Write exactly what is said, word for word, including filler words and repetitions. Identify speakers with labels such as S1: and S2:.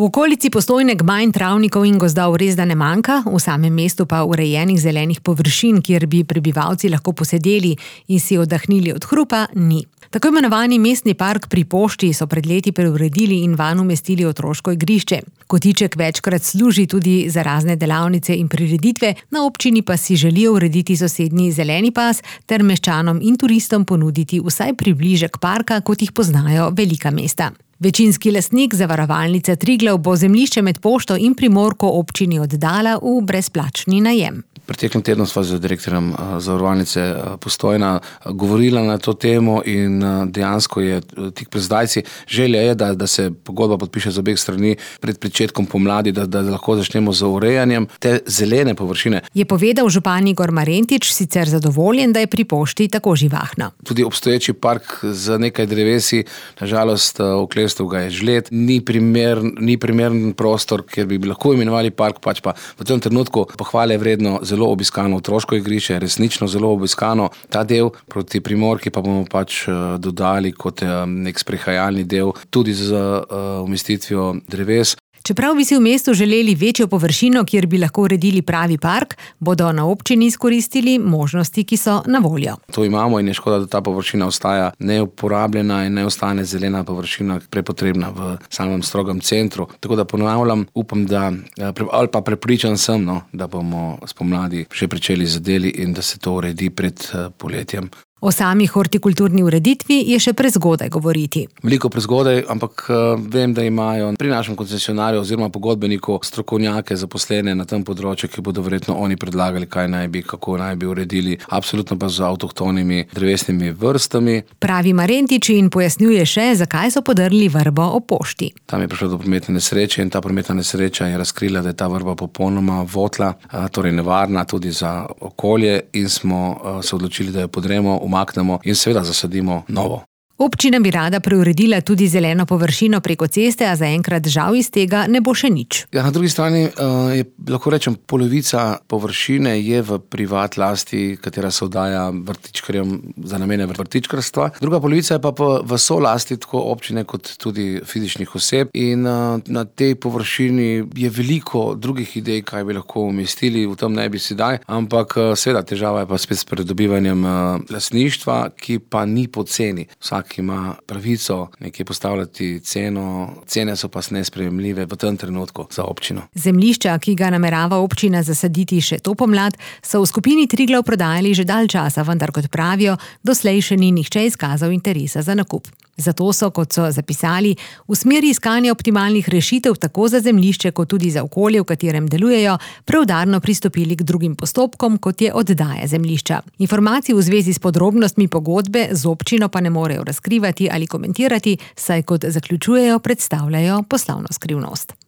S1: V okolici Postojne gmajn, travnikov in gozdov resda ne manjka, v samem mestu pa urejenih zelenih površin, kjer bi prebivalci lahko posedeli in si oddahnili od hrupa, ni. Tako imenovani mestni park pri Pošti so pred leti preuredili in vanj umestili otroško igrišče. Kotiček večkrat služi tudi za razne delavnice in prireditve, na občini pa si želijo urediti sosednji zeleni pas ter meščanom in turistom ponuditi vsaj približek parka, kot jih poznajo velika mesta. Večinski lastnik zavarovalnice Triglav bo zemljišče med Pošto in Primorko občini oddala v brezplačni najem.
S2: Preteklem tednu sva z direktorjem zavarovalnice Postojna govorila na to temo in dejansko je tik pred zdajci. Želja je, da, da se pogodba podpiše z obeh strani pred pričetkom pomladi, da, da lahko začnemo z urejanjem te zelene površine.
S1: Je povedal župan Igor Marentič, sicer zadovoljen, da je pri Pošti tako živahno.
S2: Tudi obstoječi park z nekaj drevesi, na žalost oklestil ga je žled, ni primer, ni primeren prostor, kjer bi lahko imenovali park, pač pa v tem trenutku pohvale vredno zelo obiskano otroško igrišče, resnično zelo obiskano. Ta del proti Primorki pa bomo pač dodali kot nek sprehajalni del tudi z umestitvijo dreves.
S1: Čeprav bi si v mestu želeli večjo površino, kjer bi lahko uredili pravi park, bodo na občini izkoristili možnosti, ki so na voljo.
S2: To imamo in je škoda, da ta površina ostaja neuporabljena in ne ostane zelena površina prepotrebna v samem strogem centru. Tako da ponavljam, upam, da, ali pa prepričan sem, no, da bomo spomladi že pričeli z deli in da se to uredi pred poletjem.
S1: O sami hortikulturni ureditvi je še prezgodaj govoriti.
S2: Veliko prezgodaj, ampak vem, da imajo pri našem koncesionarju oziroma pogodbeniku strokovnjake zaposlene na tem področju, ki bodo verjetno oni predlagali, kaj naj bi, kako naj bi uredili, absolutno pa z avtohtonimi drevesnimi vrstami.
S1: Pravi Marentič in pojasnjuje še, zakaj so podrli vrbo ob Pošti.
S2: Tam je prišlo do prometne nesreče in ta prometna nesreča je razkrila, da je ta vrba popolnoma votla, torej nevarna tudi za okolje in smo se odločili, da jo podremo, umaknemo in seveda zasadimo novo.
S1: Občina bi rada preuredila tudi zeleno površino preko ceste, a zaenkrat žal iz tega ne bo še nič.
S2: Ja, na drugi strani je, lahko rečem, polovica površine je v privat lasti, katera se oddaja vrtičkarjem za namene vrtičkarstva. Druga polovica je pa v solasti tako občine kot tudi fizičnih oseb in na tej površini je veliko drugih idej, kaj bi lahko umestili, v tem ne bi sedaj, ampak seveda težava je pa spet s pridobivanjem lastništva, ki pa ni poceni. Vsak ki ima pravico nekje postavljati ceno, cene so pa nesprejemljive v tem trenutku za občino.
S1: Zemljišča, ki ga namerava občina zasaditi še to pomlad, so v skupini Triglav prodajali že dalj časa, vendar kot pravijo, doslej še ni nihče izkazal interesa za nakup. Zato so, kot so zapisali, v smeri iskanja optimalnih rešitev tako za zemljišče, kot tudi za okolje, v katerem delujejo, preudarno pristopili k drugim postopkom, kot je oddaja zemljišča. Informacij v zvezi s podrobnostmi pogodbe z občino pa ne morejo razkrivati ali komentirati, saj kot zaključujejo, predstavljajo poslovno skrivnost.